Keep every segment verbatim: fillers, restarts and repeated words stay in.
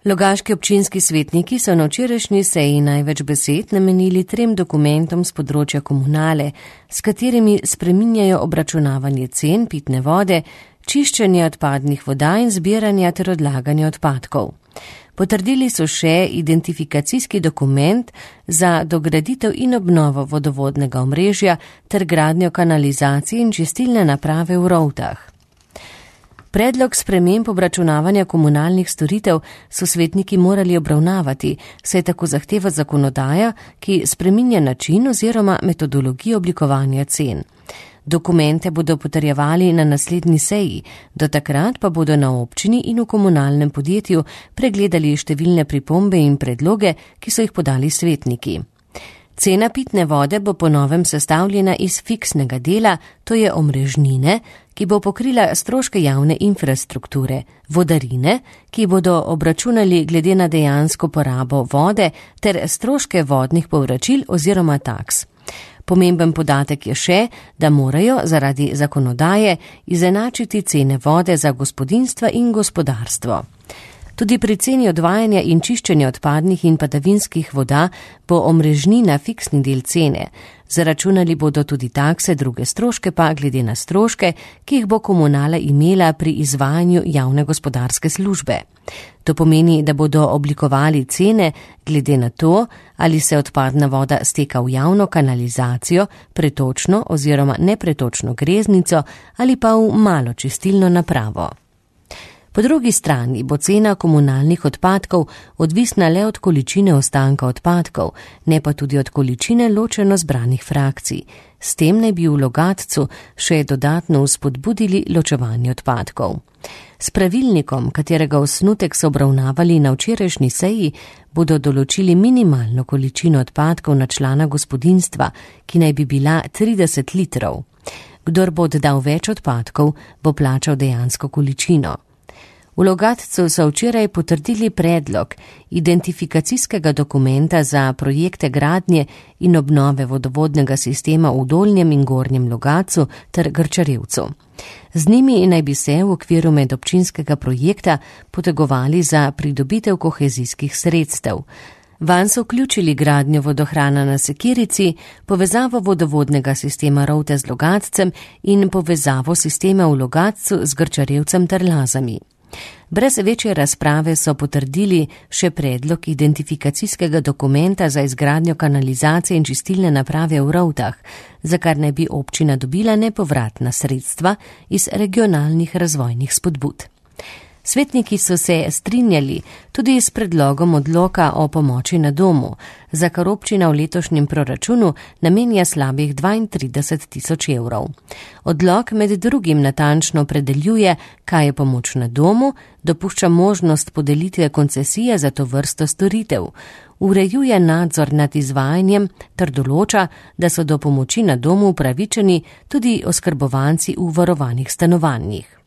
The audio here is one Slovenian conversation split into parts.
Logaški občinski svetniki so na včerajšnji seji največ besed namenili trem dokumentom z področja komunale, s katerimi spreminjajo obračunavanje cen pitne vode, čiščenje odpadnih voda in zbiranja ter odlaganje odpadkov. Potrdili so še identifikacijski dokument za dograditev in obnovo vodovodnega omrežja ter gradnjo kanalizacije in čistilne naprave v Rovtah. Predlog sprememb obračunavanja komunalnih storitev so svetniki morali obravnavati, saj tako zahteva zakonodaja, ki spreminja način oziroma metodologijo oblikovanja cen. Dokumente bodo potrjevali na naslednji seji, do takrat pa bodo na občini in v komunalnem podjetju pregledali številne pripombe in predloge, ki so jih podali svetniki. Cena pitne vode bo po novem sestavljena iz fiksnega dela, to je omrežnine, ki bo pokrila stroške javne infrastrukture, vodarine, ki bodo obračunali glede na dejansko porabo vode, ter stroške vodnih povračil oziroma taks. Pomemben podatek je še, da morajo zaradi zakonodaje izenačiti cene vode za gospodinjstva in gospodarstvo. Tudi pri ceni odvajanja in čiščenja odpadnih in padavinskih voda bo omrežnina fiksni del cene. Zaračunali bodo tudi takse, druge stroške pa glede na stroške, ki jih bo komunala imela pri izvajanju javne gospodarske službe. To pomeni, da bodo oblikovali cene glede na to, ali se odpadna voda steka v javno kanalizacijo, pretočno oziroma nepretočno greznico ali pa v malo čistilno napravo. Po drugi strani bo cena komunalnih odpadkov odvisna le od količine ostanka odpadkov, ne pa tudi od količine ločeno zbranih frakcij. S tem naj bi v Logatcu še dodatno vzpodbudili ločevanje odpadkov. S pravilnikom, katerega osnutek so obravnavali na včerajšnji seji, bodo določili minimalno količino odpadkov na člana gospodinjstva, ki naj bi bila trideset litrov. Kdor bo oddal več odpadkov, bo plačal dejansko količino. V Logatcu so včeraj potrdili predlog identifikacijskega dokumenta za projekte gradnje in obnove vodovodnega sistema v Dolnjem in Gornjem Logatcu ter Grčarevcu. Z njimi naj bi se v okviru medobčinskega projekta potegovali za pridobitev kohezijskih sredstev. Vanj so vključili gradnjo vodohrana na Sekirici, povezavo vodovodnega sistema Rovte z Logatcem in povezavo sistema v Logatcu z Grčarevcem ter Lazami. Brez večje razprave so potrdili še predlog identifikacijskega dokumenta za izgradnjo kanalizacije in čistilne naprave v Rovtah, za kar naj bi občina dobila nepovratna sredstva iz regionalnih razvojnih spodbud. Svetniki so se strinjali tudi s predlogom odloka o pomoči na domu, za kar občina v letošnjem proračunu namenja slabih dvaintrideset tisoč evrov. Odlok med drugim natančno opredeljuje, kaj je pomoč na domu, dopušča možnost podelitve koncesije za to vrsto storitev, urejuje nadzor nad izvajanjem ter določa, da so do pomoči na domu upravičeni tudi oskrbovanci v varovanih stanovanjih.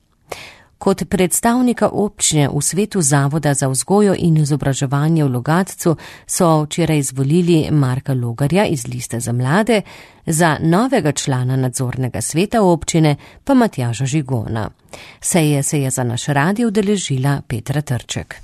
Kot predstavnika občine v svetu Zavoda za vzgojo in izobraževanje v Logatcu so včeraj izvolili Marka Logarja iz Liste za mlade, za novega člana nadzornega sveta občine pa Matjaža Žigona. Seje se je za naš radio udeležila Petra Trček.